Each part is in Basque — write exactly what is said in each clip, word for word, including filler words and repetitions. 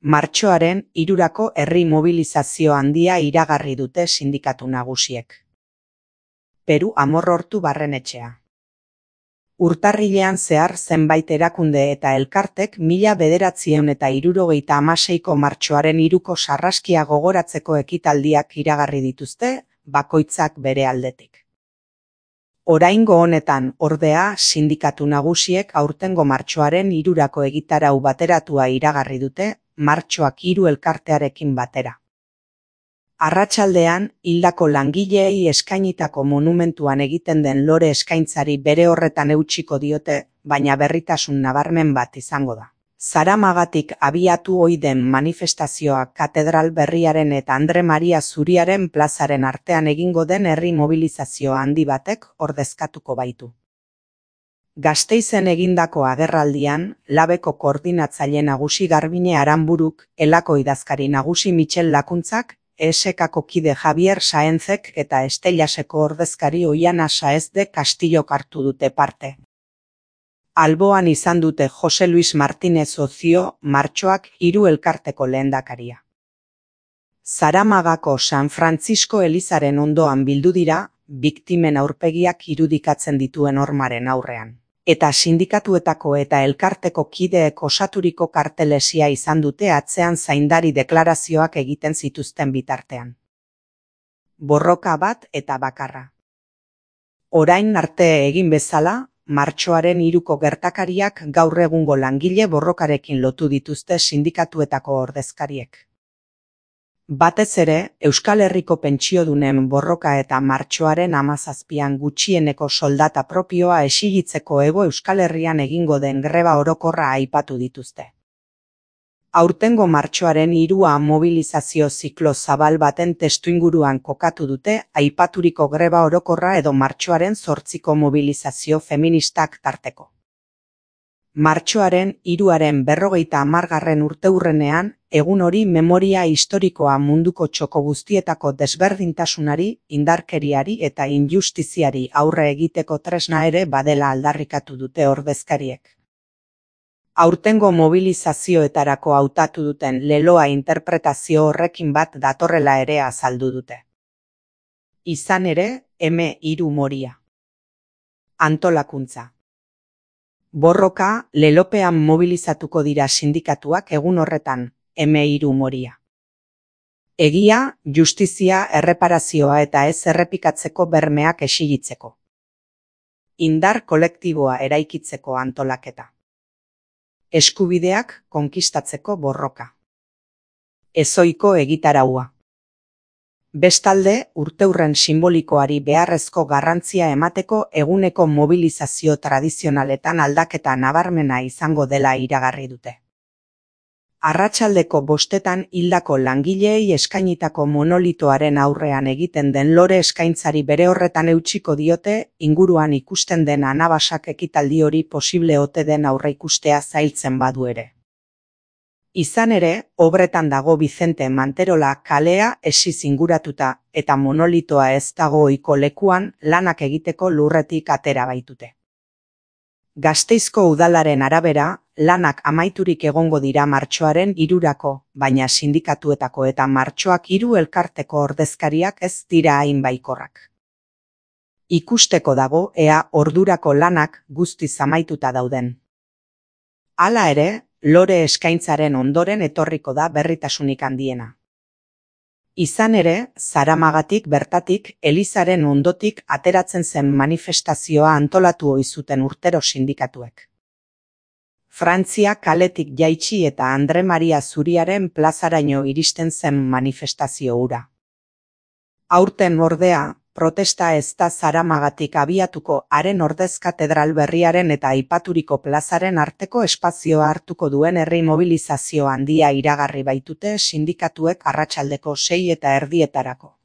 Martxoaren hirurako herri mobilizazio handia iragarri dute sindikatu nagusiek. Peru Amorortu Barrenetxea. Urtarrilean zehar zenbait erakunde eta elkartek mila bederatziehun eta hirurogeita hamaseiko martxoaren hiruko sarraskia gogoratzeko ekitaldiak iragarri dituzte, bakoitzak bere aldetik. Oraingo honetan, ordea, sindikatu nagusiek aurtengo martxoaren hirurako egitarau bateratua iragarri dute, martxoak hiru elkartearekin batera. Arratsaldean, hildako langileei eskainitako monumentuan egiten den lore eskaintzari bere horretan eutsiko diote, baina berritasun nabarmen bat izango da. Zaramagatik abiatu ohi den manifestazioa Katedral Berriaren eta Andre Maria Zuriaren plazaren artean egingo den herri mobilizazio handi batek ordezkatuko baitu. Gasteizen egindako agerraldian, labeko koordinatzaile nagusi Garbine Aranburuk, elako idazkari nagusi Michel Lakuntzak, E S K-ko kide Javier Saenzek eta Estellaseko ordezkari Oiana Saez de Castillok hartu dute parte. Alboan izan dute Jose Luis Martínez Ocio, martxoak hiru elkarteko lehendakaria. Zaramagako San Francisco elizaren ondoan bildu dira, biktimen aurpegiak irudikatzen dituen hormaren aurrean. Eta sindikatuetako eta elkarteko kideek osaturiko kartelesia izan dute atzean zaindari deklarazioak egiten zituzten bitartean. Borroka bat eta bakarra. Orain arte egin bezala, martxoaren hiruko gertakariak gaur egungo langile borrokarekin lotu dituzte sindikatuetako ordezkariek. Batez ere, Euskal Herriko pentsiodunen borroka eta martxoaren hamazazpian gutxieneko soldata propioa exigitzeko Hego Euskal Herrian egingo den greba orokorra aipatu dituzte. Aurtengo martxoaren hirua mobilizazio ziklo zabal baten testuinguruan kokatu dute aipaturiko greba orokorra edo martxoaren zortziko mobilizazio feministak tarteko. Martxoaren hiruaren berrogeita hamargarren urteurrenean, egun hori memoria historikoa munduko txoko guztietako desberdintasunari, indarkeriari eta injustiziari aurre egiteko tresna ere badela aldarrikatu dute ordezkariek. Aurtengo mobilizazioetarako hautatu duten leloa interpretazio horrekin bat datorrela ere azaldu dute. Izan ere, eme hiru moria. Antolakuntza. Borroka, lelopean mobilizatuko dira sindikatuak egun horretan, eme hiru moria. Egia, justizia, erreparazioa eta ez errepikatzeko bermeak exigitzeko. Indar kolektiboa eraikitzeko antolaketa. Eskubideak konkistatzeko borroka. Ezoiko egitaraua. Bestalde, urteurren sinbolikoari beharrezko garrantzia emateko eguneko mobilizazio tradizionaletan aldaketa nabarmena izango dela iragarri dute. Arratsaldeko bostetan hildako langileei eskainitako monolitoaren aurrean egiten den lore eskaintzari bere horretan eutsiko diote, inguruan ikusten den anabasak ekitaldi hori posible ote den aurreikustea zailtzen badu ere. Izan ere, obretan dago Vicente Manterola kalea esiz inguratuta eta monolitoa ez dago ohiko lekuan lanak egiteko lurretik atera baitute. Gasteizko udalaren arabera, lanak amaiturik egongo dira martxoaren hirurako, baina sindikatuetako eta martxoak hiru elkarteko ordezkariak ez dira hain baikorrak. Ikusteko dago ea ordurako lanak guztiz amaituta dauden. Hala ere, lore eskaintzaren ondoren etorriko da berritasunik handiena. Izan ere, Zaramagatik bertatik, elizaren ondotik ateratzen zen manifestazioa antolatu ohi zuten urtero sindikatuek. Frantzia kaletik jaitsi eta Andre Maria Zuriaren plazaraino iristen zen manifestazio hura. Aurten ordea, protesta ez da Zaramagatik abiatuko haren ordez Katedral Berriaren eta aipaturiko plazaren arteko espazioa hartuko duen herri mobilizazio handia iragarri baitute sindikatuek arratsaldeko sei eta erdietarako.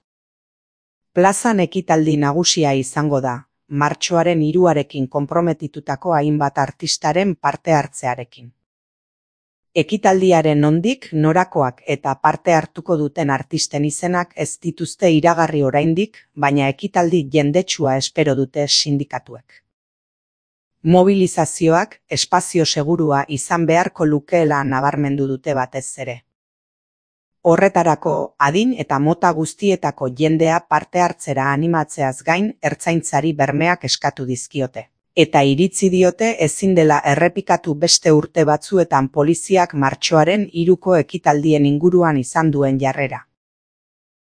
Plazan ekitaldi nagusia izango da, martxoaren hiruarekin konprometitutako hainbat artistaren parte hartzearekin. Ekitaldiaren nondik, norakoak eta parte hartuko duten artisten izenak ez dituzte iragarri oraindik, baina ekitaldi jendetsua espero dute sindikatuek. Mobilizazioak espazio segurua izan beharko lukeela nabarmendu dute batez ere. Horretarako, adin eta mota guztietako jendea parte hartzera animatzeaz gain ertzaintzari bermeak eskatu dizkiote. Eta iritzi diote ezin dela errepikatu beste urte batzuetan poliziak martxoaren hiruko ekitaldien inguruan izan duen jarrera.